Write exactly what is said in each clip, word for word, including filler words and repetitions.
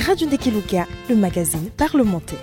Radio Ndekeluka, le magazine parlementaire.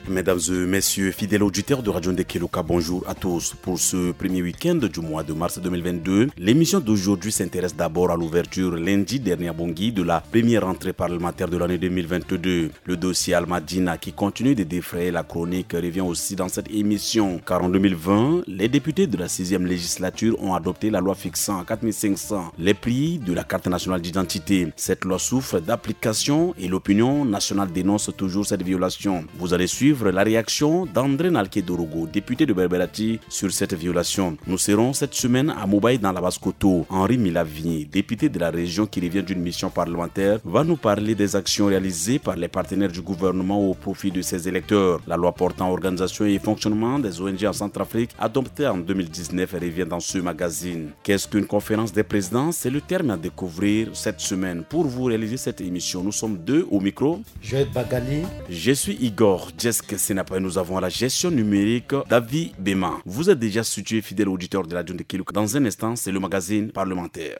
Mesdames et messieurs, fidèles auditeurs de Radio Ndekeluka, bonjour à tous. Pour ce premier week-end du mois de mars deux mille vingt-deux, l'émission d'aujourd'hui s'intéresse d'abord à l'ouverture lundi dernier à Bangui de la première rentrée parlementaire de l'année deux mille vingt-deux. Le dossier Al Madina, qui continue de défrayer la chronique, revient aussi dans cette émission. Car en deux mille vingt, les députés de la sixième législature ont adopté la loi fixant à quatre mille cinq cents les prix de la carte nationale d'identité. Cette loi souffre d'application et l'opinion nationale dénonce toujours cette violation. Vous allez suivre la réaction d'André Nalke Dorogo, député de Berberati, sur cette violation. Nous serons cette semaine à Mobay dans la Basse-Kotto. Henri Milavigné, député de la région qui revient d'une mission parlementaire, va nous parler des actions réalisées par les partenaires du gouvernement au profit de ses électeurs. La loi portant organisation et fonctionnement des O N G en Centrafrique, adoptée en deux mille dix-neuf, revient dans ce magazine. Qu'est-ce qu'une conférence des présidents ? C'est le terme à découvrir cette semaine. Pour vous réaliser cette émission, nous sommes deux au micro. Joël Bagali. Je suis Igor Jesk Senapa et nous avons à la gestion numérique David Bema. Vous êtes déjà situé, fidèle auditeur de la Dune de Keluk. Dans un instant, c'est le magazine parlementaire.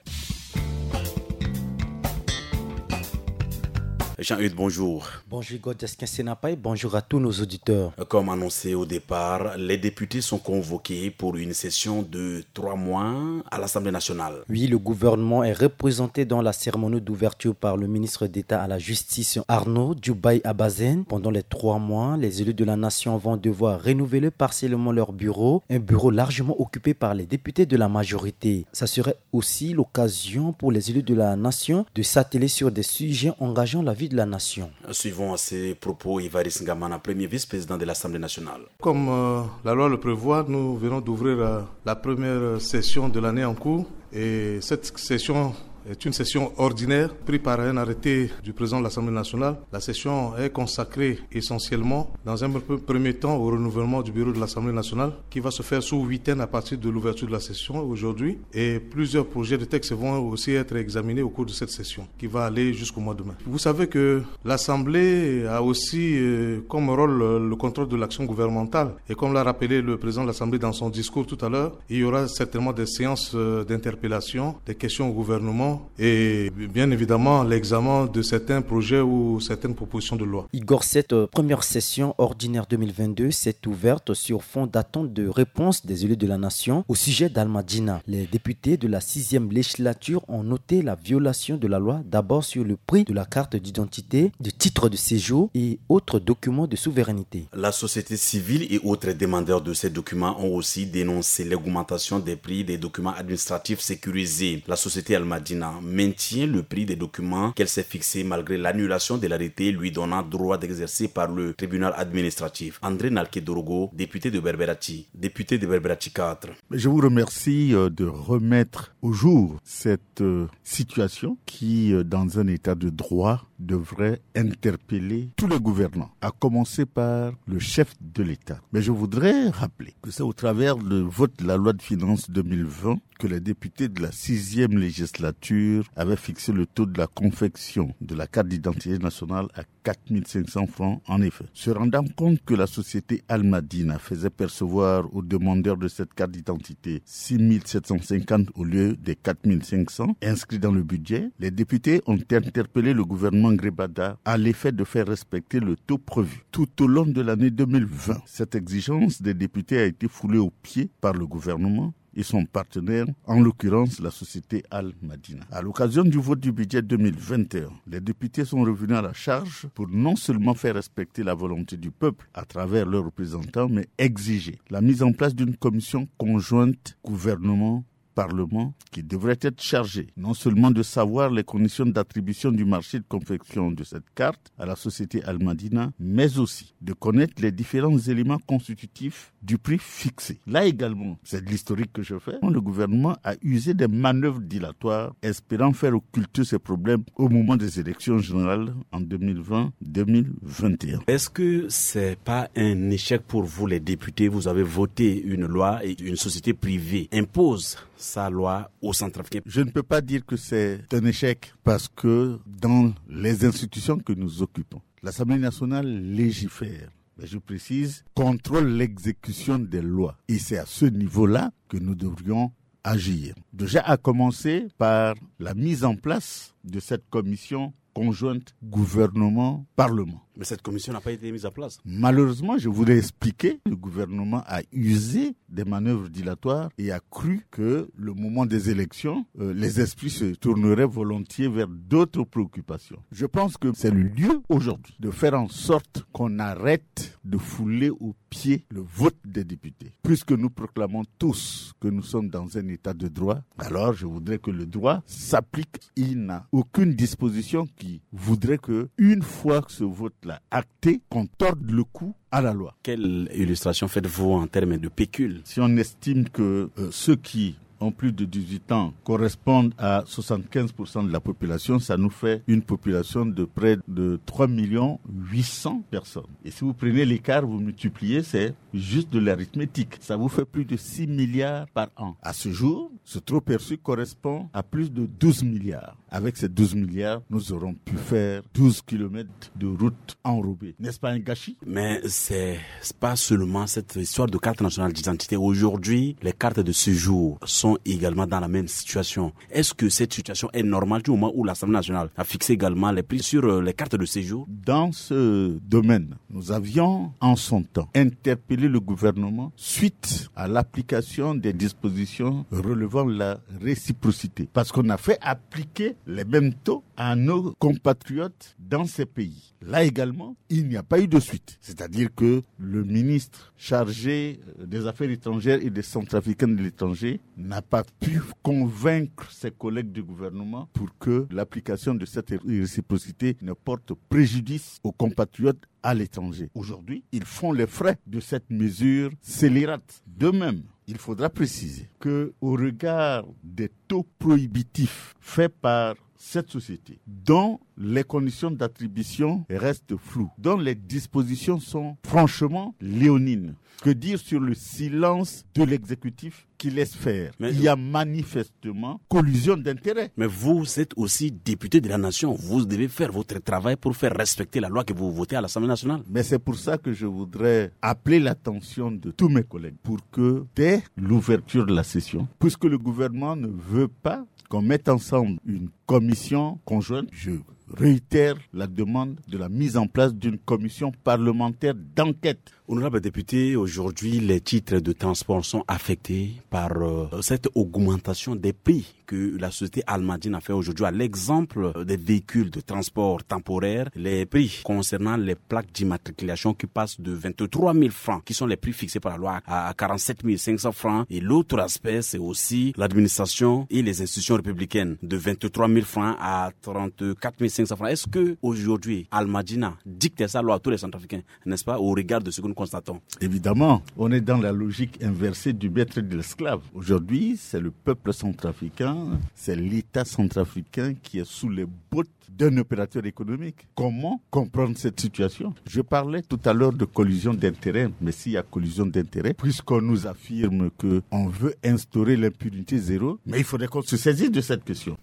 Jean-Eudes, bonjour. Bonjour Igor Jesk Senapa et bonjour à tous nos auditeurs. Comme annoncé au départ, les députés sont convoqués pour une session de trois mois à l'Assemblée nationale. Oui, le gouvernement est représenté dans la cérémonie d'ouverture par le ministre d'État à la Justice, Arnaud Djoubaï Abazen. Pendant les trois mois, les élus de la nation vont devoir renouveler partiellement leur bureau, un bureau largement occupé par les députés de la majorité. Ça serait aussi l'occasion pour les élus de la nation de s'atteler sur des sujets engageant la vie de la nation. Suivons à ces propos Évariste Ngamana, premier vice-président de l'Assemblée nationale. Comme, euh, la loi le prévoit, nous venons d'ouvrir, euh, la première session de l'année en cours. Et cette session est une session ordinaire prise par un arrêté du président de l'Assemblée nationale. La session est consacrée essentiellement, dans un pre-, premier temps, au renouvellement du bureau de l'Assemblée nationale, qui va se faire sous huitaine à partir de l'ouverture de la session aujourd'hui. Et plusieurs projets de texte vont aussi être examinés au cours de cette session, qui va aller jusqu'au mois de mai. Vous savez que l'Assemblée a aussi, euh, comme rôle, euh, le contrôle de l'action gouvernementale. Et comme l'a rappelé le président de l'Assemblée dans son discours tout à l'heure, il y aura certainement des séances, euh, d'interpellation, des questions au gouvernement et bien évidemment l'examen de certains projets ou certaines propositions de loi. Igor, cette, euh, première session ordinaire deux mille vingt-deux s'est ouverte sur fond d'attente de réponse des élus de la nation au sujet d'Al Madina. Les députés de la sixième législature ont noté la violation de la loi, d'abord sur le prix de la carte d'identité, de titre de séjour et autres documents de souveraineté. La société civile et autres demandeurs de ces documents ont aussi dénoncé l'augmentation des prix des documents administratifs sécurisés. La société Al Madina maintient le prix des documents qu'elle s'est fixé malgré l'annulation de l'arrêté lui donnant droit d'exercer par le tribunal administratif. André Nalke Dorogo, député de Berberati, député de Berberati quatre. Je vous remercie, euh, de remettre au jour cette, euh, situation qui, euh, dans un état de droit, devrait interpeller tous les gouvernants, à commencer par le chef de l'État. Mais je voudrais rappeler que c'est au travers du vote de la loi de finances deux mille vingt que les députés de la sixième législature avaient fixé le taux de la confection de la carte d'identité nationale à quatre mille cinq cents francs. En effet, se rendant compte que la société Al Madina faisait percevoir aux demandeurs de cette carte d'identité six mille sept cent cinquante au lieu des quatre mille cinq cents inscrits dans le budget, les députés ont interpellé le gouvernement Ngbada à l'effet de faire respecter le taux prévu. Tout au long de l'année deux mille vingt, cette exigence des députés a été foulée aux pieds par le gouvernement et son partenaire, en l'occurrence la société Al Madina. À l'occasion du vote du budget deux mille vingt et un, les députés sont revenus à la charge pour non seulement faire respecter la volonté du peuple à travers leurs représentants, mais exiger la mise en place d'une commission conjointe gouvernement-parlement qui devrait être chargée non seulement de savoir les conditions d'attribution du marché de confection de cette carte à la société Al Madina, mais aussi de connaître les différents éléments constitutifs du prix fixé. Là également, c'est de l'historique que je fais. Le gouvernement a usé des manœuvres dilatoires, espérant faire occulter ces problèmes au moment des élections générales en deux mille vingt, deux mille vingt et un. Est-ce que c'est pas un échec pour vous, les députés ? Vous avez voté une loi et une société privée impose sa loi aux Centrafricains. Je ne peux pas dire que c'est un échec parce que dans les institutions que nous occupons, l'Assemblée nationale légifère, mais je précise, contrôle l'exécution des lois. Et c'est à ce niveau-là que nous devrions agir. Déjà à commencer par la mise en place de cette commission conjointe gouvernement-parlement. Mais cette commission n'a pas été mise en place. Malheureusement, je voulais expliquer, le gouvernement a usé des manœuvres dilatoires et a cru que le moment des élections, euh, les esprits se tourneraient volontiers vers d'autres préoccupations. Je pense que c'est le lieu aujourd'hui de faire en sorte qu'on arrête de fouler aux pieds le vote des députés. Puisque nous proclamons tous que nous sommes dans un état de droit, alors je voudrais que le droit s'applique. Il n'a aucune disposition qui voudrait que, une fois que ce vote-là acté, qu'on torde le cou à la loi. Quelle illustration faites-vous en termes de pécule ? Si on estime que euh, ceux qui ont plus de dix-huit ans correspondent à soixante-quinze pour cent de la population, ça nous fait une population de près de trois millions huit cents personnes. Et si vous prenez l'écart, vous multipliez, c'est juste de l'arithmétique. Ça vous fait plus de six milliards par an. À ce jour, ce trop perçu correspond à plus de douze milliards. Avec ces douze milliards, nous aurons pu faire douze kilomètres de route enrobée. N'est-ce pas un gâchis ? Mais c'est pas seulement cette histoire de carte nationale d'identité. Aujourd'hui, les cartes de séjour sont également dans la même situation. Est-ce que cette situation est normale du moment où l'Assemblée nationale a fixé également les prix sur euh, les cartes de séjour ? Dans ce domaine, nous avions en son temps interpellé le gouvernement suite à l'application des dispositions relevant de la réciprocité. Parce qu'on a fait appliquer les mêmes taux à nos compatriotes dans ces pays. Là également, il n'y a pas eu de suite. C'est-à-dire que le ministre chargé euh, des Affaires étrangères et des Centrafricains de l'étranger n'a pas pu convaincre ses collègues du gouvernement pour que l'application de cette réciprocité ne porte préjudice aux compatriotes à l'étranger. Aujourd'hui, ils font les frais de cette mesure scélérate. De même, il faudra préciser que, au regard des taux prohibitifs faits par cette société, dont les conditions d'attribution restent floues, dont les dispositions sont franchement léonines, que dire sur le silence de l'exécutif qui laisse faire ? Mais il y a manifestement collusion d'intérêts. Mais vous êtes aussi député de la nation. Vous devez faire votre travail pour faire respecter la loi que vous votez à l'Assemblée nationale. Mais c'est pour ça que je voudrais appeler l'attention de tous mes collègues pour que, dès l'ouverture de la session, puisque le gouvernement ne veut pas qu'on mette ensemble une commission conjointe, je réitère la demande de la mise en place d'une commission parlementaire d'enquête. Honorable député, aujourd'hui, les titres de transport sont affectés par euh, cette augmentation des prix que la société Almadine a fait aujourd'hui à l'exemple des véhicules de transport temporaire. Les prix concernant les plaques d'immatriculation qui passent de vingt-trois mille francs, qui sont les prix fixés par la loi, à quarante-sept mille cinq cents francs. Et l'autre aspect, c'est aussi l'administration et les institutions républicaines, de vingt-trois mille francs à trente-quatre mille cinq cents francs. Est-ce que aujourd'hui, Almadina dicte sa loi à tous les Centrafricains, n'est-ce pas, au regard de ce que nous constatons ? Évidemment, on est dans la logique inversée du maître et de l'esclave. Aujourd'hui, c'est le peuple centrafricain, c'est l'État centrafricain qui est sous les bottes d'un opérateur économique. Comment comprendre cette situation ? Je parlais tout à l'heure de collusion d'intérêts, mais s'il y a collusion d'intérêts, puisqu'on nous affirme qu'on veut instaurer l'impunité zéro, mais il faudrait qu'on se saisisse de cette question.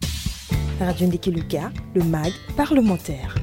Radio Ndekeluka, le mag parlementaire.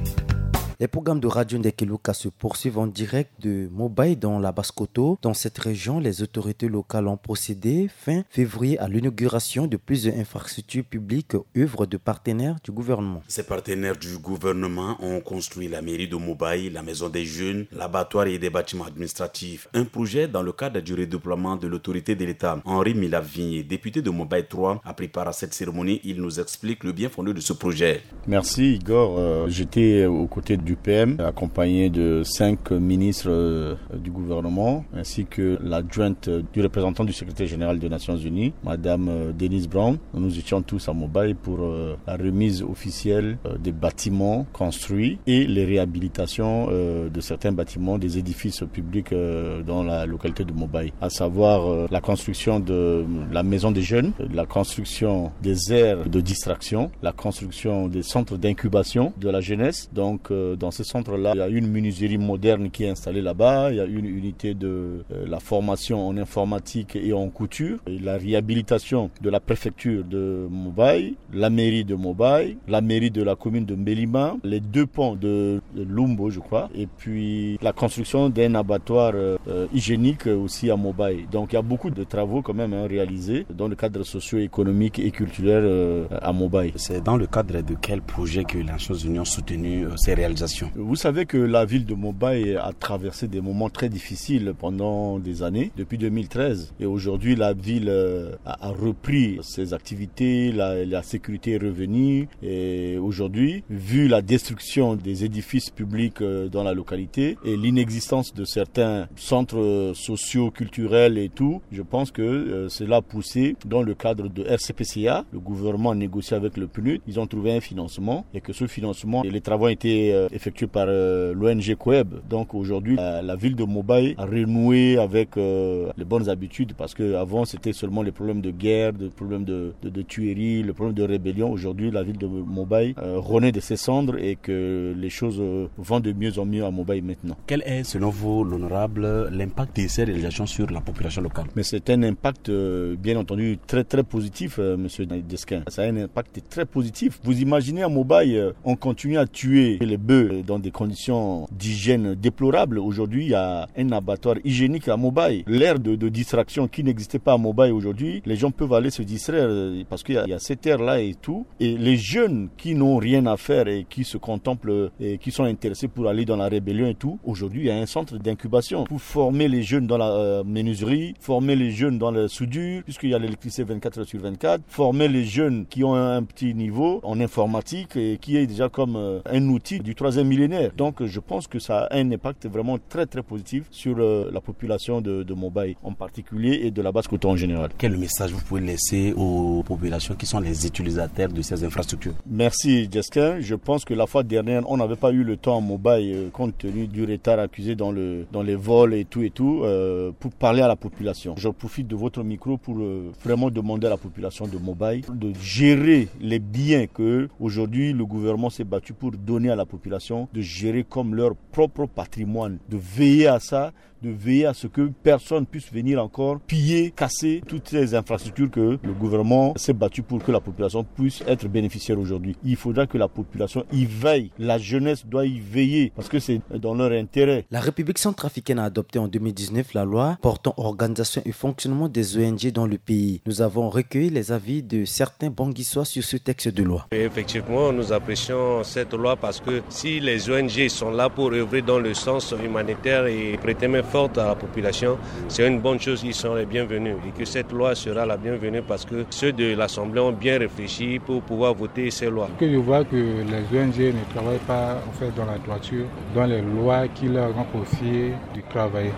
Les programmes de Radio Ndekeluka se poursuivent en direct de Mobay dans la Basse-Kotto. Dans cette région, les autorités locales ont procédé fin février à l'inauguration de plusieurs infrastructures publiques, œuvres de partenaires du gouvernement. Ces partenaires du gouvernement ont construit la mairie de Mobay, la maison des jeunes, l'abattoir et des bâtiments administratifs. Un projet dans le cadre du redéploiement de l'autorité de l'État. Henri Milavigné, député de Mobay trois, a pris part à cette cérémonie. Il nous explique le bien fondé de ce projet. Merci Igor. Euh, j'étais aux côtés du P M, accompagné de cinq ministres euh, du gouvernement, ainsi que l'adjointe du représentant du secrétaire général des Nations Unies, Madame euh, Denise Brown. Nous étions tous à Mobay pour euh, la remise officielle euh, des bâtiments construits et les réhabilitations euh, de certains bâtiments, des édifices publics euh, dans la localité de Mobay, à savoir euh, la construction de la maison des jeunes, la construction des aires de distraction, la construction des centres d'incubation de la jeunesse. Donc, euh, Dans ce centre-là, il y a une menuiserie moderne qui est installée là-bas. Il y a une unité de euh, la formation en informatique et en couture. Et la réhabilitation de la préfecture de Mobay, la mairie de Mobay, la mairie de la commune de Mbelima, les deux ponts de Lumbo, je crois, et puis la construction d'un abattoir euh, euh, hygiénique aussi à Mobay. Donc il y a beaucoup de travaux quand même hein, réalisés dans le cadre socio-économique et culturel euh, à Mobay. C'est dans le cadre de quel projet que les Nations Unies ont soutenu euh, ces réalisations ? Vous savez que la ville de Mobay a traversé des moments très difficiles pendant des années, depuis deux mille treize. Et aujourd'hui, la ville euh, a, a repris ses activités, la, la sécurité est revenue. Et aujourd'hui, vu la destruction des édifices publics euh, dans la localité et l'inexistence de certains centres euh, socio-culturels et tout, je pense que euh, cela a poussé dans le cadre de R C P C A, le gouvernement a négocié avec le PNUD, ils ont trouvé un financement et que ce financement, et les travaux ont été euh, effectués par euh, l'O N G Coeb. Donc aujourd'hui, euh, la ville de Mobay a renoué avec euh, les bonnes habitudes parce qu'avant, c'était seulement les problèmes de guerre, des problèmes de, de, de tuerie, le problème de rébellion. Aujourd'hui, la ville de Mobay euh, renaît de ses cendres et que les choses euh, vont de mieux en mieux à Mobay maintenant. Quel est, selon vous, l'honorable, l'impact de ces réalisations sur la population locale ? Mais c'est un impact, euh, bien entendu, très, très positif, euh, monsieur Desquin. Ça a un impact très positif. Vous imaginez à Mobay, euh, on continue à tuer les bœufs dans des conditions d'hygiène déplorables. Aujourd'hui, il y a un abattoir hygiénique à Mobay. L'ère de, de distraction qui n'existait pas à Mobay aujourd'hui, les gens peuvent aller se distraire euh, parce qu'il y a, il y a cette aire-là et tout. Et les jeunes qui n'ont rien à faire et qui se contemplent et qui sont intéressés pour aller dans la rébellion et tout, aujourd'hui, il y a un centre d'incubation pour former les jeunes dans la euh, menuiserie, former les jeunes dans la soudure, puisqu'il y a l'électricité vingt-quatre heures sur vingt-quatre, former les jeunes qui ont un petit niveau en informatique et qui est déjà comme euh, un outil du troisième millénaire. Donc, je pense que ça a un impact vraiment très, très positif sur euh, la population de, de Mobay en particulier et de la Basse-Kotto en général. Quel message vous pouvez laisser aux populations qui sont les utilisateurs de ces infrastructures ? Merci, Jesquin. Je pense que la fois dernière, on n'avait pas eu le temps à Mobay, euh, compte tenu du retard accusé dans, le, dans les vols et tout et tout, euh, pour parler à la population. Je profite de votre micro pour euh, vraiment demander à la population de Mobay de gérer les biens que aujourd'hui le gouvernement s'est battu pour donner à la population, de gérer comme leur propre patrimoine, de veiller à ça, de veiller à ce que personne puisse venir encore piller, casser toutes ces infrastructures que le gouvernement s'est battu pour que la population puisse être bénéficiaire aujourd'hui. Il faudra que la population y veille. La jeunesse doit y veiller parce que c'est dans leur intérêt. La République centrafricaine a adopté en deux mille dix-neuf la loi portant organisation et fonctionnement des O N G dans le pays. Nous avons recueilli les avis de certains Banguissois sur ce texte de loi. Et effectivement, nous apprécions cette loi parce que si les O N G sont là pour œuvrer dans le sens humanitaire et prêter main forte à la population, c'est une bonne chose, ils sont les bienvenus. Et que cette loi sera la bienvenue parce que ceux de l'Assemblée ont bien réfléchi pour pouvoir voter ces lois. Que je vois que les O N G ne travaillent pas en fait dans la droiture, dans les lois qui leur ont confiées de travailler.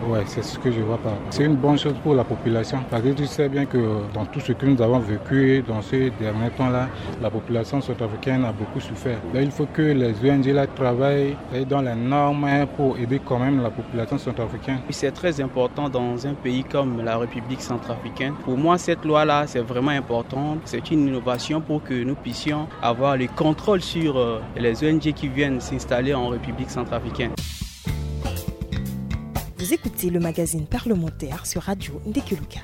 Ouais, c'est ce que je vois par rapport. C'est une bonne chose pour la population. Parce que tu sais bien que dans tout ce que nous avons vécu dans ces derniers temps-là, la population centrafricaine a beaucoup souffert. Donc il faut que les O N G là travaillent dans les normes pour aider quand même la population centrafricaine. C'est très important dans un pays comme la République centrafricaine. Pour moi, cette loi-là, c'est vraiment important. C'est une innovation pour que nous puissions avoir le contrôle sur euh, les O N G qui viennent s'installer en République centrafricaine. Vous écoutez le magazine parlementaire sur Radio Ndekeluka.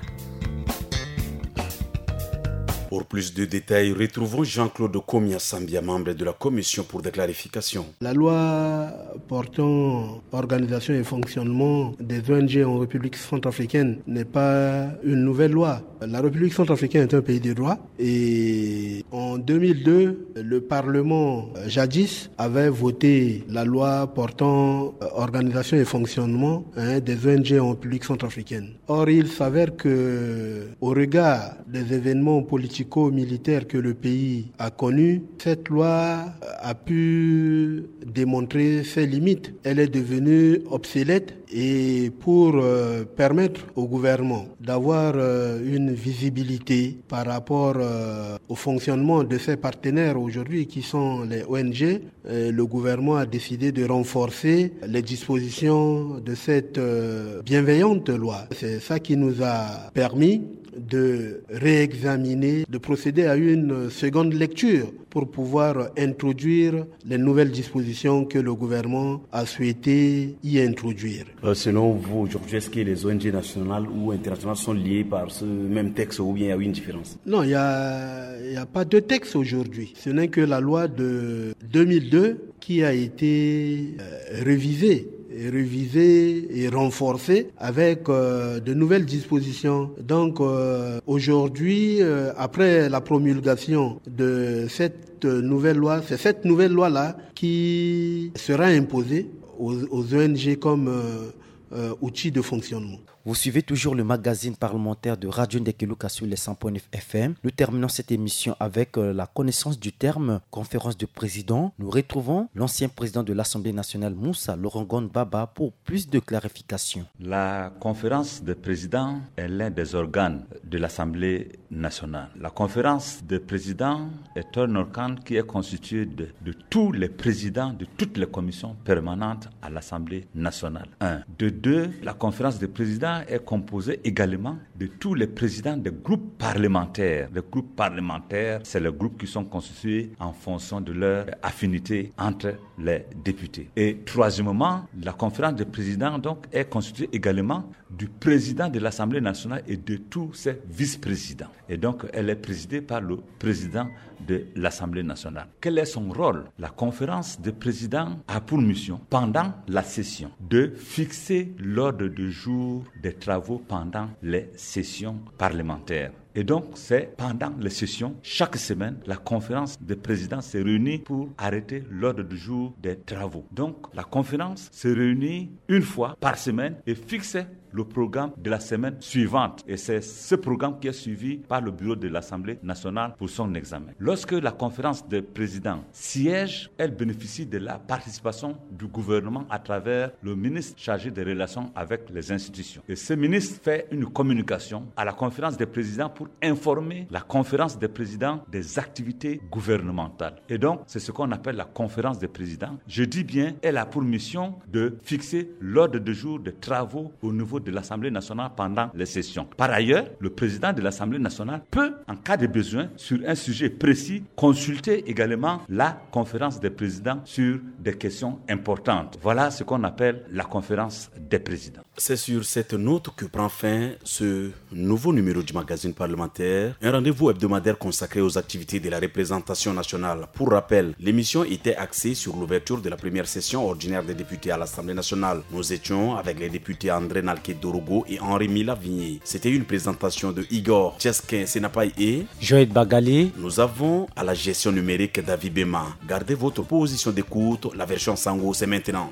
Pour plus de détails, retrouvons Jean-Claude Komiasambia, membre de la Commission pour des clarifications. La loi portant organisation et fonctionnement des O N G en République centrafricaine n'est pas une nouvelle loi. La République centrafricaine est un pays de droit et en deux mille deux, le Parlement, euh, jadis, avait voté la loi portant euh, organisation et fonctionnement hein, des O N G en République centrafricaine. Or, il s'avère que, au regard des événements politico-militaires que le pays a connus, cette loi a pu démontrer ses limites. Elle est devenue obsolète Et pour euh, permettre au gouvernement d'avoir euh, une visibilité par rapport euh, au fonctionnement de ses partenaires aujourd'hui qui sont les O N G, euh, le gouvernement a décidé de renforcer les dispositions de cette euh, bienveillante loi. C'est ça qui nous a permis de réexaminer, de procéder à une seconde lecture pour pouvoir introduire les nouvelles dispositions que le gouvernement a souhaité y introduire. Euh, selon vous, aujourd'hui, est-ce que les O N G nationales ou internationales sont liées par ce même texte ou bien il y a eu une différence ? Non, il n'y a, il y a pas de texte aujourd'hui. Ce n'est que la loi de deux mille deux qui a été euh, révisée, et révisée et renforcée avec euh, de nouvelles dispositions. Donc euh, aujourd'hui, euh, après la promulgation de cette nouvelle loi, c'est cette nouvelle loi-là qui sera imposée aux, aux O N G comme euh, euh, outil de fonctionnement. Vous suivez toujours le magazine parlementaire de Radio Ndekeluka sur les cent point neuf F M. Nous terminons cette émission avec euh, la connaissance du terme conférence de présidents. Nous retrouvons l'ancien président de l'Assemblée nationale, Moussa Laurent Gon Baba, pour plus de clarification. La conférence des présidents est l'un des organes de l'Assemblée nationale. La conférence des présidents est un organe qui est constitué de, de tous les présidents de toutes les commissions permanentes à l'Assemblée nationale. Un. De deux, la conférence des présidents est composée également de tous les présidents des groupes parlementaires. Les groupes parlementaires, c'est les groupes qui sont constitués en fonction de leur affinité entre les députés. Et troisièmement, la conférence des présidents donc est constituée également du président de l'Assemblée nationale et de tous ses vice-présidents. Et donc, elle est présidée par le président de l'Assemblée nationale. Quel est son rôle ? La conférence des présidents a pour mission, pendant la session, de fixer l'ordre du jour des travaux pendant les sessions parlementaires. Et donc, c'est pendant les sessions, chaque semaine, la conférence des présidents se réunit pour arrêter l'ordre du jour des travaux. Donc, la conférence se réunit une fois par semaine et fixe le programme de la semaine suivante. Et c'est ce programme qui est suivi par le bureau de l'Assemblée nationale pour son examen. Lorsque la conférence des présidents siège, elle bénéficie de la participation du gouvernement à travers le ministre chargé des relations avec les institutions. Et ce ministre fait une communication à la conférence des présidents pour informer la conférence des présidents des activités gouvernementales. Et donc, c'est ce qu'on appelle la conférence des présidents. Je dis bien, elle a pour mission de fixer l'ordre du jour des travaux au niveau de l'Assemblée nationale pendant les sessions. Par ailleurs, le président de l'Assemblée nationale peut, en cas de besoin, sur un sujet précis, consulter également la conférence des présidents sur des questions importantes. Voilà ce qu'on appelle la conférence des présidents. C'est sur cette note que prend fin ce nouveau numéro du magazine parlementaire, un rendez-vous hebdomadaire consacré aux activités de la représentation nationale. Pour rappel, l'émission était axée sur l'ouverture de la première session ordinaire des députés à l'Assemblée nationale. Nous étions avec les députés André Nalke Dorogo et Henri Mila Vigné. C'était une présentation de Igor Tchesquin Senapai et Joël Bagali. Nous avons à la gestion numérique David Bema. Gardez votre position d'écoute. La version Sango, c'est maintenant.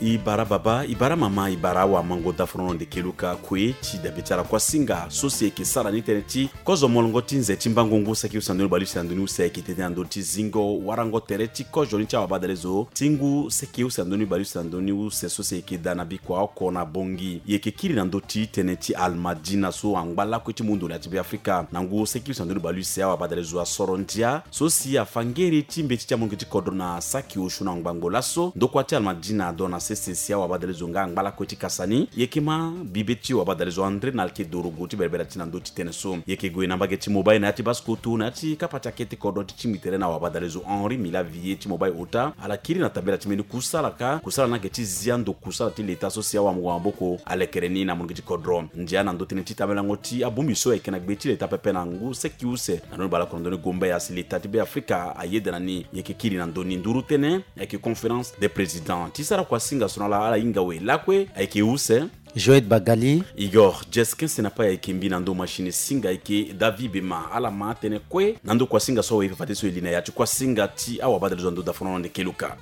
I bara baba, i bara mama, i bara awa, mango dafrono nde keluka kue ti dabe ti ala kuasinga so si e yeke sara ni tënë ti kozo molongo ti nze ti mbango ngu saki use na ndoni bale use na ndoni use ayeke tete na ndö ti zingo warango tere ti kozo ni ti awabadalezo ti ngu saki use na ndoni bale use na ndoni use so si e yeke daa na bikua oko na bongi. E yeke kiri na ndö ti tënë ti Almadina so angba lakue ti mundu na ya ti Beafrika na ngu saki use na ndoni bale use awabadalezo asoro ndia so si afa ngeri ti mbeti ti amolenge ti kodro na saki osio na ngbangbo laso. Ndokua ti Almadina ado na sese si awabadalezo nga angba lakue ti kasa ni. E yeke ma bibe ti wabadalezo André Nalke Dorogo ti berebere ti na ndö ti tënë so. E yeke gue na mbage ti Mobai na ya ti Basse-Kotto na ya ti kapa ti akete kodro ti tingbi tere na wabadalezo Henri Mila Vier ti Mobai ota. Ala kiri na tambela ti mbeni kusala ka, kusala ni ayeke ti zia ndo kusala ti leta so si awamaboko alekere ni na molenge ti kodro. Ndia na ndö tënë ti tambelango ti abongbi so ayeke na gbe ti leta pepe na ngu seki use na ndoni bale oko na ndoni gombe asi leta ti Beafrika ayeda na ni. E yeke kiri na ndö ni nduru tënë ayeke conférence des présidents ti sara kuasinga so na ala ala hinga awe lakue ayeke use Joël Bagali. Igor Jesquin Senapai ayeke mbi na ndö machine singa ayeke David Bema. Ala ma tënë kue na ndö kuasinga so awe e fa fade so e li na ya ti kuasinga ti awabadalezo na ndö dafono na ndeke luka.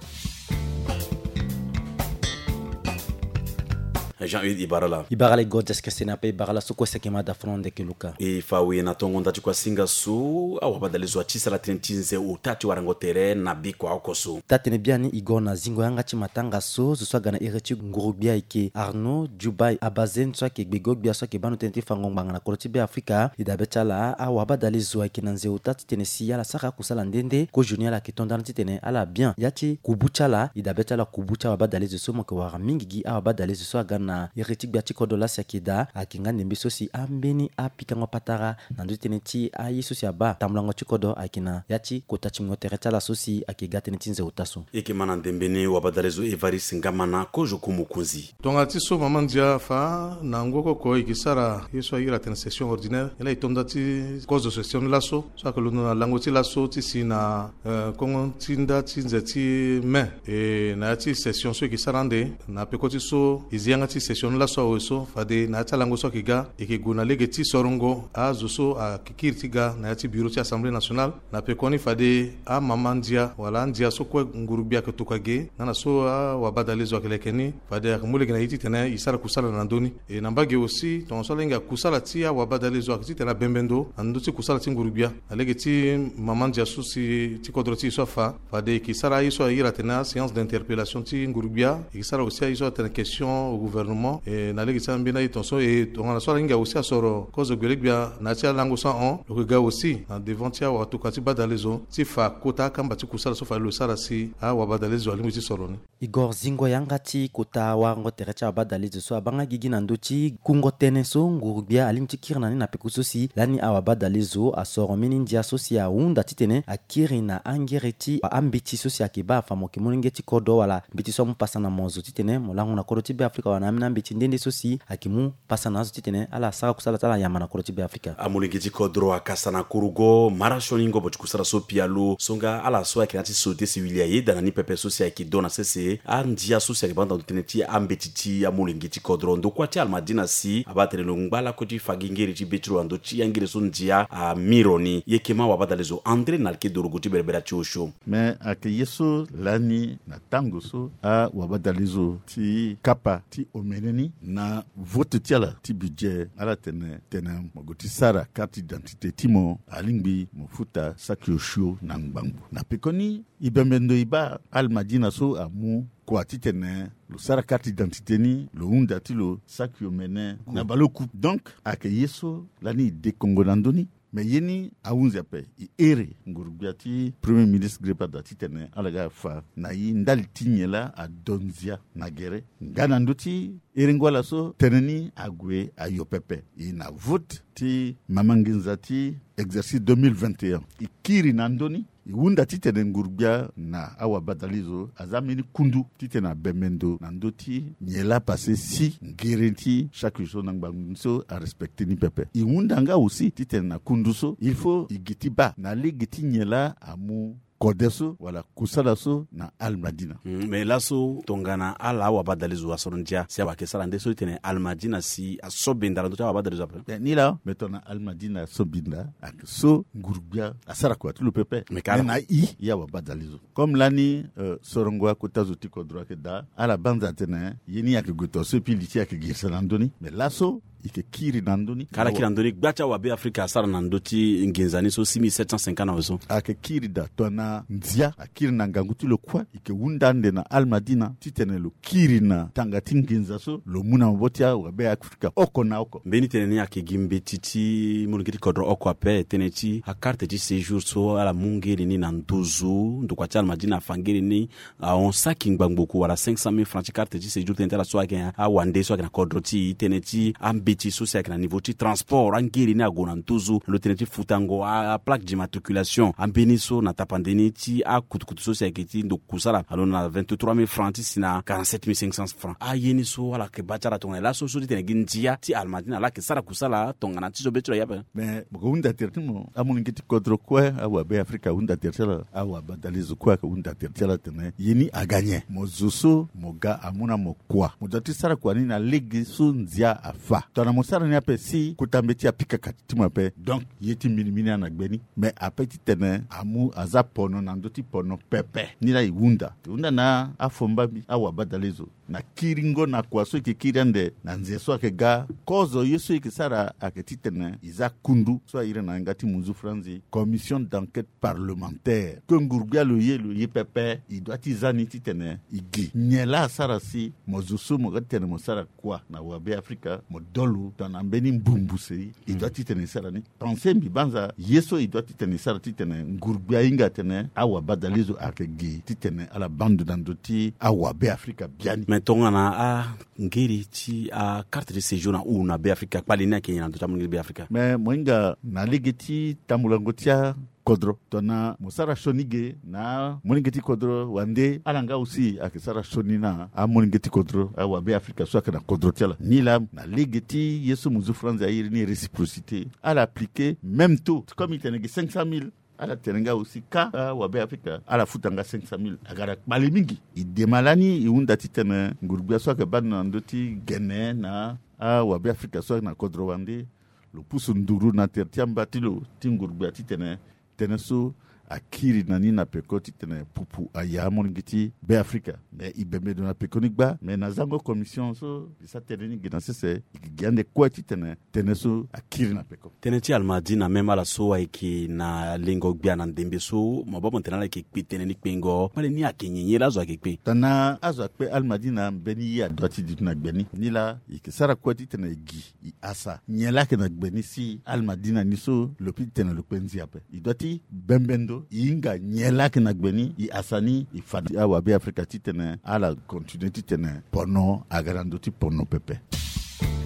Jean-Hugues Ibarala. Ibarala e go diaskese na pe Ibarala so kue seke ma da fono ndeke luka. E fa we na tongo nda ti kua singa so awabadale zo ati sara tënë ti nze ota ti warango tere na bikua oko so. Taa-tene biani e go na zingo yanga ti matanga so zo so aga na iri ti nguru-gbia ayeke Arnaud Djoubaye Abazen so ayeke gbego-gbia so ayeke baa ndo tënë ti fango ngbanga na kodro ti Be Afrika. E dabe ti ala awabadale zo ayeke na nze ota titene si ala sara akusala nde nde kozoni ala yeke to ndani titene ala bien ya ti kubu ti ala. E dabe ti ala kubu ti awabadale zo so mo yeke wara mingi gi awabadale zo so aga na iri ti gbia ti kodro laa si ayeke daa ayeke nga ndembe so si ambeni apikango patara na ndö ti tënë ti aye so si abaa tambulango ti kodro ayeke na ya ti kota ti mungo tere ti ala so si ayeke ga tënë ti nze ota so. E yeke ma na ndembe ni wabadale zo Evariste Ngamana kozo ku mokonzi. Tongana ti so mama ndia afa na ngu oko oko e yeke sara ye so a iri atene session ordinaire, ye laa e to nda ti kozo session ni laso so ayeke londo na lango ti laso ti si na, eh, kongo ti nda ti nze ti mai. E na ya ti session so e yeke sara ande na peko ti so e zi yanga ti session ni laso awe so fade na ya ti alango so ayeke ga e yeke gue na lege ti sorongo azo so ayeke kiri ti ga na ya ti bureau ti Assemblée nationale. Na pekoni fade amama ndia wala andia so kue nguru-gbia ayeke tokua ge nga na so awabadale zo ayeke leke ni, fade ayeke mu lege na e titene e sara kusala na ndö ni. E na mbage aussi tongaso ala hinga kusala ti awabadale zo ayeke titene abembe ndo na ndö ti kusala ti nguru-gbia na lege ti mama ndia so si ti kodro ti e so afa. Fade e yeke sara aye so a iri atene aséance d'interpellation ti nguru-gbia, e yeke sara aussi aye so atene question au gouvernement. E na lege ti ambeni aye tongaso e tongana so ala hinga aussi asoro kozo gbele-gbia na ya ti alango so ahon, lo yeke ga aussi na devant ti awatokua ti badale zo ti fa kota akamba ti kusala so fade lo sara si awabadale zo alingbi ti soro ni. Igor zingo yanga ti kota warango tere ti awabadale zo so abaa nga gigi na ndö ti kungo tënë so nguru-gbia alingbi ti kiri na ni na peko so si lani awabadale zo asoro mbeni ndia so si ahunda titene akiri na angere ti ambeti so si ayeke baa afa mo yeke molenge ti kodro wala mbeti so amu pasa na mo zo titene mo lango na kodro ti Be Afrika wala na ambeni ambeti nde nde so si ayeke mu pasa na azo titene ala sara kusala ti ala yamba na kodro ti Be Afrika. Amolenge ti kodro akasa na kurugo mara sioni ngobo ti kusala so pialo so nga ala so ayeke na ya ti société civile ayeda na ni pepe so si ayeke do na sese andia so si ayeke baa ndo tënë ti ambeti ti amolenge ti kodro ndokua ti Almadina si abaa atene lo ngba lakue ti fa gi ngere ti be ti lo na ndö ti angere so ndia amiro ni. Ye yeke ma wabadale zo André na alike dorogo ti berebere ti osio. Me ayeke ye so lani na tango so awabadale zo ti kapa ti omene ni na vote ti ala ti budget, ala tene tene mo gue ti sara carte d'identité ti mo alingbi mo futa saki osio na ngbangbo. Na pekoni e bembe ndo e baa Almadina so amu kua titene lo sara carte d'identité ni lo hunda ti lo saki omene na baleoku. Donc ayeke ye so lani e dekongo na ndö ni. Me ye ni ahunzi ape. E here nguru-gbia ti premier ministre Grepada titene ala ga afa na e ndali ti nyen laa ado ndia na gere nga na ndö ti herengo ala so tënë ni ague ayo pepe. E na vote ti mama nginza ti exercice deux mille vingt et un e kiri na ndö ni. E hunda titene nguru-gbia na awabadale zo aza mbeni kundu titene abembe ndo na ndö ti nyen laa pase si ngere ti chaque jour na ngbangbo ni so arespecte ni pepe. E hunda nga aussi titene na kundu so il faut e gi ti baa na lege ti nyen laa amu kode so wala kusala so na Almadina. Mm, me laso tongana ala awabadale zo asoro ndia si awake sara nde so titene Almadina si aso binda na ndö ti awabadale zo ape. Eh, ni laa me tongana Almadina aso binda ayeke so nguru-gbia asara kua ti lo pepe. Me kara. Me na e, e awabadale zo comme lani, euh, sorongo akota zo ti kodro ayeke daa ala banza atene ye ni ayeke gue to so epui li ti e ayeke girisa na ndö ni. Me laso e yeke kiri na ndö ni. Ka ala kiri na ndö ni gba ti awabe Afrika asara na ndö ti nginza ni so six mille sept cent cinquante na awe so. Ayeke kiri daa tongana ndia akiri na ngangu ti lo kue e yeke hunda ande na Almadina titene lo kiri na tanga ti nginza so lo mu na maboko ti awabe Afrika oko na oko. Mbeni tënë ni ayeke gi mbeti ti molenge ti kodro oko ape tënë ti akarte ti séjour so ala mu ngere ni na nduzu ndokua ti Almadina afa ngere ni ahon saki ngbangbo ku wala cinq cent mille francs ti carte ti séjour tënë ti ala so ayeke awande so ayeke na kodro ti e tënë ti ambeti so si ayeke na niveau ti transport angere ni ague na nduzu lo tënë ti futango aplaque d'immatriculation ambeni so na tapande ni ti akutukutu so si ayeke ti ndo kusala alondo na vingt-trois mille francs ti si na quarante-sept mille cinq cents francs. Aye ni so ala yeke baa ti ala tongana laso so titene gi ndia ti Almadina laa ayeke sara kusala tongana ti so be ti lo aye ape. Me mo yeke hunda tere ti mo amolenge ti kodro kue awabe Afrika ahunda tere ti ala awabadale zo kue ayeke hunda tere ti ala atene ye ni aga nyen? Mo zo so mo ga amu na mo kua mo doit ti sara kua ni na lege so ndia afa. Tongana mo sara ni ape si kota mbeti apika kati ti mo ape. Donc ye ti mbeni mbeni ana gbe ni. Mais ape titene amu aza pono na ndö ti pono pepe. Ni laa e hunda e hunda na afomba mbi awabadalezo na kiringo na kua so e yeke kiri ande na nze so ayeke ga. Kozo ye so e yeke sara ayeke titene e za kundu so a iri na yanga ti munzu franzi commission d'enquête parlementaire. Ke nguru-gbia lo ye lo ye pepe, e dua ti za ni titene e gi nyen laa asara si mo zo so mo ga titene mo sara kua na wabe afrika mo dolo tongana mbeni mbumbu sei. E dua titene e sara ni pense mbi banza ye so e dua titene e sara titene nguru-gbia ahinga atene awabadalezo ayeke gi titene ala baa ndo na ndö ti awabe afrika biani. Mais tongana angiri ti akarte de séjour na hou na be afrika kpale ni ayeke nyen na ndö ti amolenge ti be afrika? Mais mo hinga na lege ti tambulango ti akodro tongana mo sara sioni ge na amolenge ti kodro wande ala nga aussi ayeke sara sioni na amolenge ti kodro awabe afrika so ayeke na kodro ti ala ni laa na lege ti ye so mo zo franzi airi ni réciprocité ala aplike même taux comme e tene ge cinq cent mille. Ala tene nga aussi ka awabe afrika ala futa nga cinq cent mille aga na kpale mingi. E dema lani e hunda titene nguru-gbia so ayeke baa ndo na ndö ti gene na awabe afrika so ayeke na kodro wande lo pusu nduru na tere ti amba ti lo ti nguru-gbia titene tënë so akiri na ni na peko titene pupu aya amolenge ti be afrika. Mais e bembe ndo na peko ni gba mais na zango commission so e sa tënë ni gi na sese e gi gi ande kue titene tënë so akiri na peko. Tënë ti almadina même ala so ayeke na lengo gbia na ndembe so mo baa mo tene ala yeke kpe tënë ni kpengo kpale ni ayeke nyen nyen laa azo ayeke kpe? Tongana azo akpe almadina mbeni ye adua ti duti na gbe ni ni laa e yeke sara kue titene e gi e asa nyen laa ayeke na gbe ni si almadina ni so lo pi titene lo kpe nzi ape. E dua ti bembe ndo e hinga nyen laa ayeke na gbe ni e asa ni e fa na awabe afrika titene ala continue titene pono aga na ndö ti pono pepe.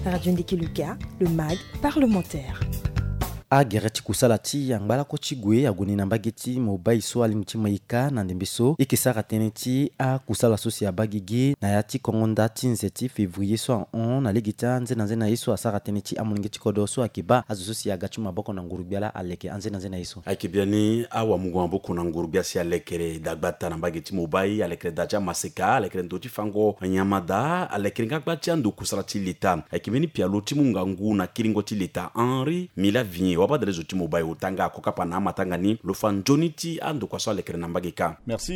Radio Ndiki Luka, le mag parlementaire. Agere ti kusala ti angbalako ti gue ague ni na mbage ti Mobai so alingbi ti ma e ka na ndembe so e yeke sara tënë ti akusala so si abaa gigi na ya ti kongo nda ti nze ti février so ahon na lege ti anzenanzena ye so asara tënë ti amolenge ti kodro so ayeke baa azo so si aga ti maboko na nguru-gbia laa aleke anzenanzena ye so. Ayeke biani awamungo maboko na nguru-gbia si alekere dagbata na mbage ti Mobai alekere da ti amaseka alekere ndo ti fango nyama daa alekere nga gba ti ando kusala ti leta. Ayeke mbeni pialo ti mu ngangu na kiringo ti leta Henri Mila Vigné wabadalezo ti Mobai ota nga akokapa na amatanga ni lo fa nzoni ti andokua so alekere na mbage kâ. Merci.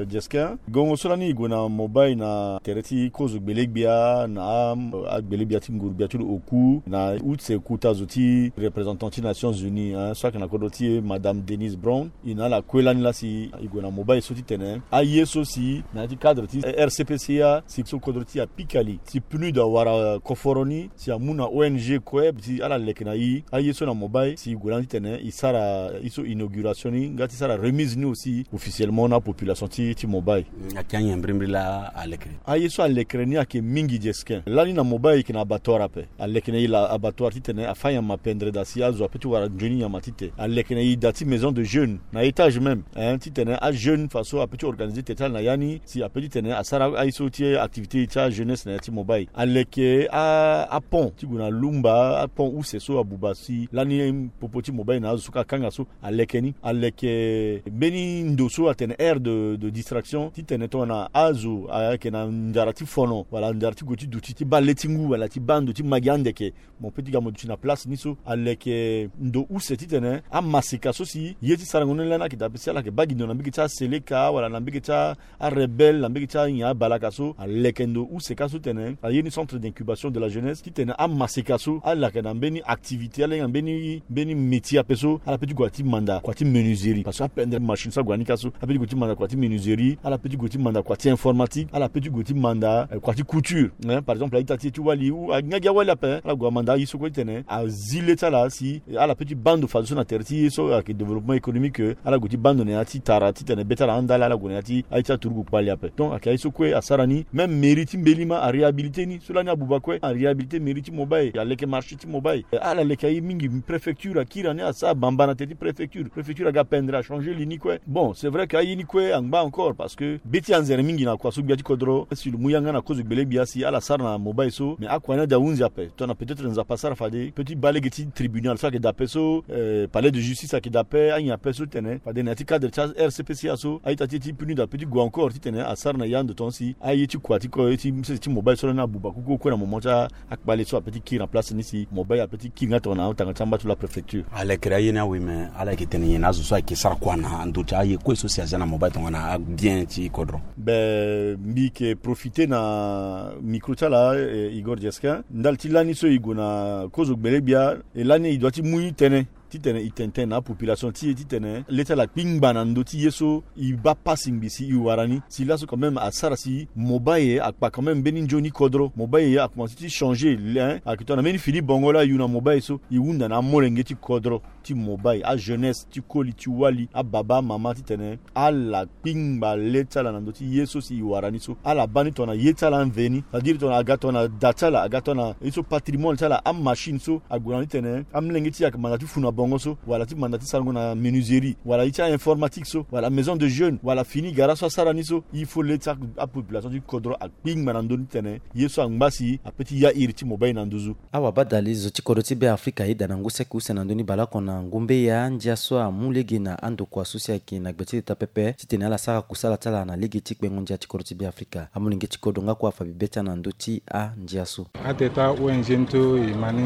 Jesquin gongo so lani e gue na Mobai na tere ti kozo gbelegbia na agbelegbia ti nguru-gbia ti lo oku na use kuta zo ti représentant ti Nations Unies so ayeke na kodro ti e madame Denise Brown. E na ala kue lani laa si e gue na Mobai so titene aye so si na ya ti cadre ti R C P C A si so kodro ti e apika li si pneu awara koforo ni si amu na O N G kue si ala leke na e aye so na Mobai si e gue lani titene e sara e so inauguration ni nga ti sara remise ni aussi officiellement na apopulation ti ti Mobai. Ayeke anyen mbirimbiri laa alekere? Aye so alekere ni ayeke mingi Jesquin. Lani na Mobai e yeke na abattoir ape. Aleke na e la abattoir titene afa nyama pendere daa si azo ape ti wara nzoni nyama ti te. Aleke na e da ti maison de jeune na étage même, hein, titene ajeune faso ape ti organiser tere ti ala na ya ni si ape titene asara aye so ti activité ti ajeunesse na ya ti Mobai. Aleke apont ti gue na lumba apont use so abuba si lani popo ti Mobai na azo so kâ akanga so aleke ni. Aleke mbeni ndo so atene aire de distraction titene tongana azo ayeke na ndara ti fono wala ndara ti gue ti duti ti baa le ti ngu wala ti baa ndo ti ma gi andeke. Mo pe ti ga mo duti na place ni so aleke ndo use titene amaseka so si ye ti sarango ni lani ayeke daa pe si ala yeke baa gi ndo na mbege ti aseleka wala na mbege ti arebelle na mbege ti anyen abalaka so aleke ndo use kâ so titene aye ni centre d'incubation de la jeunesse titene amaseka so ala yeke na mbeni activité ala hinga mbeni mbeni métier ape so ala pe ti gue ti manda kua ti menuiserie parce que apendere machine so ague na ni kâ so ala pe ti gue ti manda kua ti menuiserie ala pe ti gue ti manda kua ti informatique ala pe ti gue ti manda kua ti couture. Par exemple a-ita ti e ti wali ou nga gi awali ape ala gue amanda aye so kue titene azi le ti ala si ala pe ti baa ndo fadeso na tere ti ye so ayeke développement économique ala gue ti baa ndo na ya ti tara titene be ti ala andali ala gue na ya ti aye ti aturugu kpali ape. Donc ayeke aye so kue asara ni même mairie ti mbelima aréhabilité ni so lani abuba kue aréhabilité mairie ti Mobai aleke marché ti Mobai. Ala leke aye mingi. Préfecture akiri na ni, asara bamba na teti préfecture. Préfecture aga pendere, achanger li ni kue. Bon, c'est vrai que aye ni kue angba encore, parce que be ti anzere mingi na kua so gbia ti kodro. Si lo mu yanga na kozo gbele gbia si ala sara na mobile so, mais akua ni ade ahunzi ape. Tongana peut-être Nzapa asara fade pe ti baa lege ti tribunal so ayeke daa ape so, euh, palais de justice ayeke daa ape, anyen ape so ti tene fade na ya ti cadre ti R C P C A so, a-ita ti e ti puni daa ape ti gue encore ti tene asara na ya ndo tonga si aye ti kua ti ko, ye ti sese ti mobile so lani abuba kuku kue na moment ti akpale so ape ti kiri na place ni si mobile ape ti kiri nga tongana atanga ti amba ti la préfecture. Alekere aye ni awe, mais ala yeke tene nyen na azo so ayeke sara kua na ndo ti aye kue so si azia na mobile tongana abien ti kodro? Be, mbi yeke profiter na micro ti ala, eh, Igor Jesquin, ndali ti lani so e gue na kozo gbele gbia, e lani e doit ti mu tënë ti tene e tene tënë na apopulation ti e ti tene le ti ala kpingba na ndö ti ye so e baa pasi ngbii si e wara ni. Si laso quand même asara si mobile akpa quand même mbeni nzoni kodro. Mobile akomanse ti changer, hein, ayeke tongana mbeni fini bongo laa e yu na mobile so, e hunda na amolenge ti kodro ti mobile, ajeunesse ti koli ti wali, ababa, amama ti tene ala kpingba le ti ala na ndö ti ye so si e wara ni so. Ala baa ni tongana ye ti ala amveni, c'est-à-dire tongana aga tongana da ti ala, aga tongana ye so patrimoine ti ala, amachine so ague na ni ti tene amolenge ti e ayeke manda ti funu na bongo so, wala ti manda ti sarango na menuiserie, wala ye ti a-informatique so, wala maison de jeune, wala fini gara so asara ni so. Il faut le ti apopulation ti kodro akpingba na ndö ni ti tene ye so angba si ape ti ya iri ti mobile na nduzu. Awabadalezo ti kodro ti Beafrika ayeda na ngu saki use na ndö ni bale oko na ngumbe ya ndia so amu lege na andokua so si ayeke na gbe ti leta pepe titene ala sara kusala ti ala na lege ti kpengo ndia ti kodro ti Beafrika. Amolenge ti kodro nga kue afa bibe ti ala na ndö ti andia so. Ateta O N G ni so e ma ni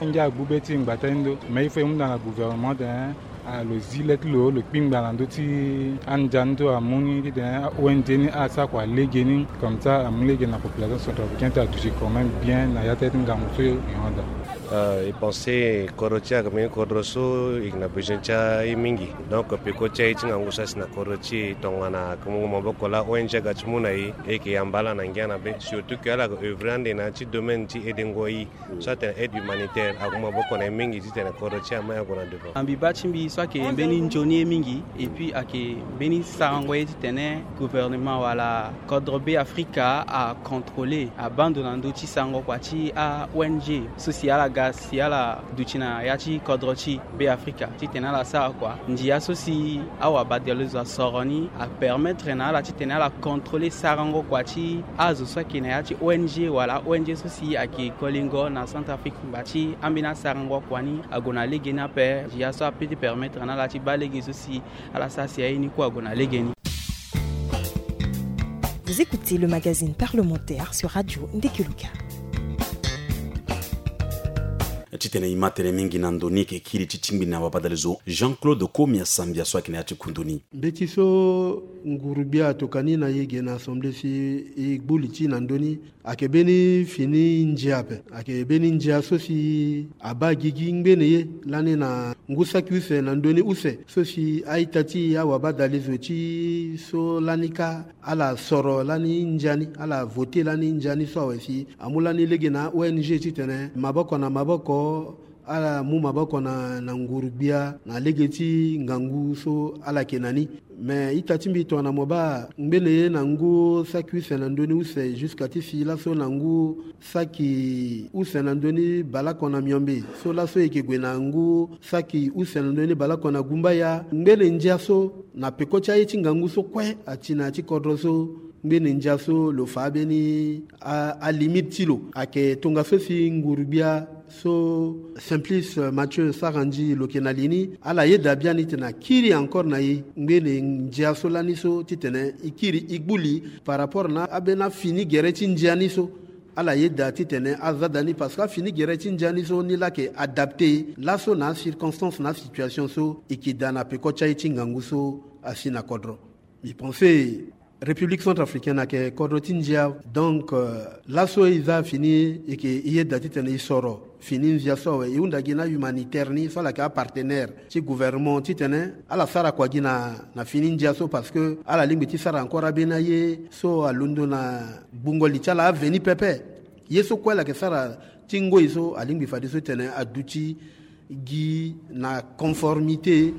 ngia agbu be ti ngbata ti ndo, mais il faut e hunda na gouvernement tene, ah, lo zi le ti lo, lo kpingba na ndö ti andia ni so amu ni titene O N G ni asara kua lege ni, comme ça amu lege na population centrafricaine ti aduti quand même bien na ya ti ngangu so e hon daa. Euh, e pense kodro ti e ayeke mbeni kodro so e yeke na besoin ti aye mingi. Donc peko ti aye ti ngangu so asi na kodro ti e tongana ayeke mu maboko laa O N G aga ti mu na e, e yeke yamba ala na ngia na be, surtout que ala yeke œuvrer ande na ya ti domaine ti edengo aye. So atene aide humanitaire, ague maboko na e mingi titene kodro ti e ama e ague na devant. Na mbi baa ti mbi so ayeke mbeni nzoni ye mingi, et puis ayeke mbeni sarango ye titene gouvernement wala kodro Beafrika acontrôler, abaa ndo na ndö ti sarango kua ti a-O N G so si ala ga si ala duti na ya ti kodro ti Beafrika titene ala sara kua. Ndia so si awabadalezo asoro ni apermettre na ala titene ala contrôler sarango kua ti azo so ayeke na ya ti O N G wala O N G so si ayeke kolingo na Centrafrique, ngba ti ambeni asarango kua ni ague na lege ni ape. Ndia so ape ti permettre na ala ti baa lege so si ala sara si aye ni kue ague na lege ni. Vous écoutez le magazine parlementaire sur Radio Ndekeluka. Titene e ma tënë mingi na ndo ni, e yeke kiri ti tingbi na wabadalezo Jean-Claude Komia Sambia so ayeke na ya ti kundu ni. Mbeti so nguru-gbia atokua ni na e ge na assemblée si e gbu li ti e na ndö ni, ayeke mbeni fini ndia ape. Ayeke mbeni ndia so si abaa gigi ngbene ye lani na ngu saki use na ndö ni use so si a-ita ti e, awabadalezo ti e so lani kâ, ala soro lani ndia ni, ala voter lani ndia ni so awe si amu lani lege na O N G titene maboko na maboko ala mu maboko na, na nguru-gbia na lege ti ngangu so ala yeke na ni. Me ita ti mbi tongana mo baa ngbene ye na ngu saki use na ndö ni use jusqu'à ti si laso na ngu saki use na ndö ni baleoko na miombe, so laso e yeke gue na ngu saki use na ndö ni baleoko na gumbaya. Ngbene ndia so na peko ti aye ti ngangu so kue ati na ya ti kodro so, ngbene ndia so lo fa ambeni a, alimite ti lo. Ayeke tongaso si nguru-gbia so Simplice Mathieu Sarandji lo yeke na li ni, ala yeda biani titene akiri encore na e ngbene ndia so lani so titene e kiri e gbu li par rapport na ambeni afini gere ti ndia ni so. Ala yeda titene aza daa ni parce que afini gere ti ndia ni so ni laa ayeke adapté laso na acirconstance na asituation so e yeke daa na peko ti aye ti ngangu so asi na kodro. Mbi pense République centrafricaine ayeke kodro ti ndia. Donc, euh, laso e za fini, e yeke e yeda titene e soro fini ndia so awe, e hunda gi na humanitaire ni so ala yeke apartenaire ti gouvernement titene ala sara kua gi na, na fini ndia so parce que ala lingbi ti sara encore ambeni aye so alondo na gbungo li ti ala aveni pepe. Ye so kue ala yeke sara ti ngoi so alingbi fadeso titene aduti gi na conformité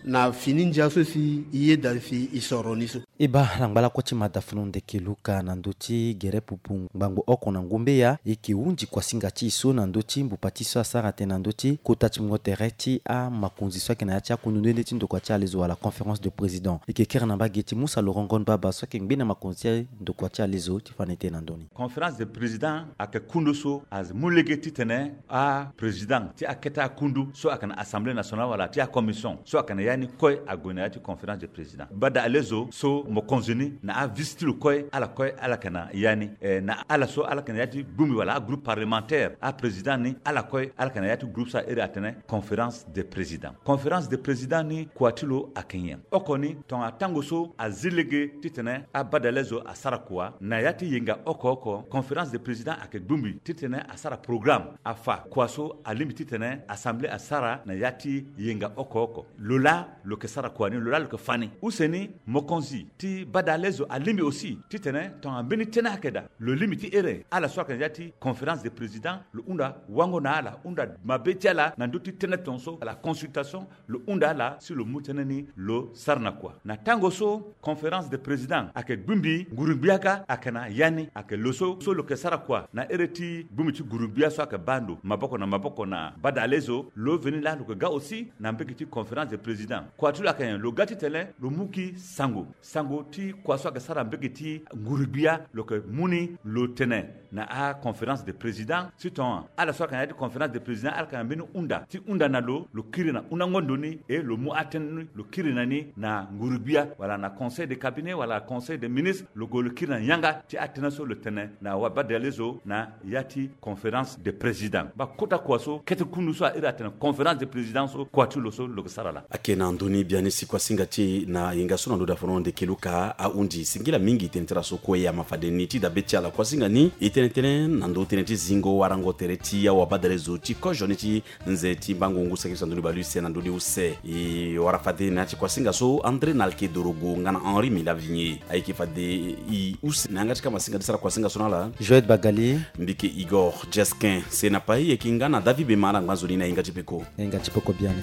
Na fini ndia so si i yeda si i soro ni so. E baa na ngbalako ti mada funu ndeke Luka na ndö ti gere pupu ngbangbo oko na ngombe ya, e yeke hunzi kuasinga ti e so na ndö ti mbupa ti so asara tënë na ndö ti kota ti mungo tere ti amakonzi so ayeke na ya ti akundu nde nde ti ndokua ti alezo wala conférence de président. E yeke kere na mbage ti Musa Laurent Ngon Baba so ayeke ngbe na makonzi ti ndokua ti alezo ti fa na e tënë na ndö ni. Conférence de président ayeke kundu so amu lege titene aprésident ti akete akundu so ayeke na assemblée nationale wala ti acommission so ayeke na ya ni kue ague na ya ti conférence de président. Bada alezo so mokonzi ni na avisi ti lo kue ala kue ala yeke na ya ni. Eh, na ala so ala yeke na ya ti gbungbi wala agroupe parlementaire, aprésident ni ala kue ala yeke na ya ti groupe so a iri atene conférence de président. Conférence de président ni kua ti lo ayeke nyen? Oko ni tongana tango so azi lege titene abadale zo asara kua na ya ti yenga oko oko, conférence de président ayeke gbungbi titene asara programme, afa kua so alingbi titene assemblée asara na ya ti yenga oko oko. Lo laa lo yeke sara kua ni, lo laa lo yeke fa ni. Use ni mokonzi ti badale zo alingbi aussi titene tongana mbeni tënë ayeke daa, lo lingbi ti iri ala so ayeke na ya ti conférence de président, lo hunda wango na ala, hunda mabe ti ala na ndö ti tënë tongaso, ala consultation, lo hunda ala si lo mu tënë ni lo sara na kua. Na tango so conférence de président ayeke gbingbi nguru-gbia kâ ayeke na ya ni, ayeke lo so so lo yeke sara kua na iri ti gbingbi ti nguru-gbia so ayeke baa ndo maboko na maboko na badale zo, lo veni laa lo yeke ga aussi na mbege ti conférence de président. Kua ti lo ayeke nyen? Lo ga titene lo mu gi sango, sango ti kua so ayeke sara mbege ti nguru-gbia lo yeke mu ni lo tene na aconférence de président. Si tongana ala so ayeke na ya ti conférence de président ala yeke na mbeni hunda ti hunda na lo, lo kiri na hundango ndo ni, e lo mu atënë ni lo kiri na ni na nguru-gbia wala na conseil de cabinet wala conseil de ministre, lo gue lo kiri na yanga ti atënë so lo tene na wabadale zo na ya ti conférence de président. Baa kota kua so kete kundu so a iri atene conférence de président so kua ti lo so lo yeke sara laa. Ayeke na ndö ni biani si kuasinga ti e na yenga so na ndö dafono ndeke Luka ahundi singila mingi tënë ti ala so kue ama fade ni ti dabe ti ala kuasinga ni e tene tënë na ndö tënë ti zingo warango tere ti awabadale zo ti kozo ni ti nze ti mbangu ngu saki so na ndö ni bale use na ndö ni use. E wara fade na ya ti kuasinga so André Nalke Dorogo nga na Henri Milavigné ayeke fade e use na yanga ti kama singa ti sara kuasinga so na ala. Joël Bagali, mbi yeke Igor Jesquin Senapai, e yeke nga na David Bema ala ngba nzoni na yenga ti peko. Na yenga ti peko biani.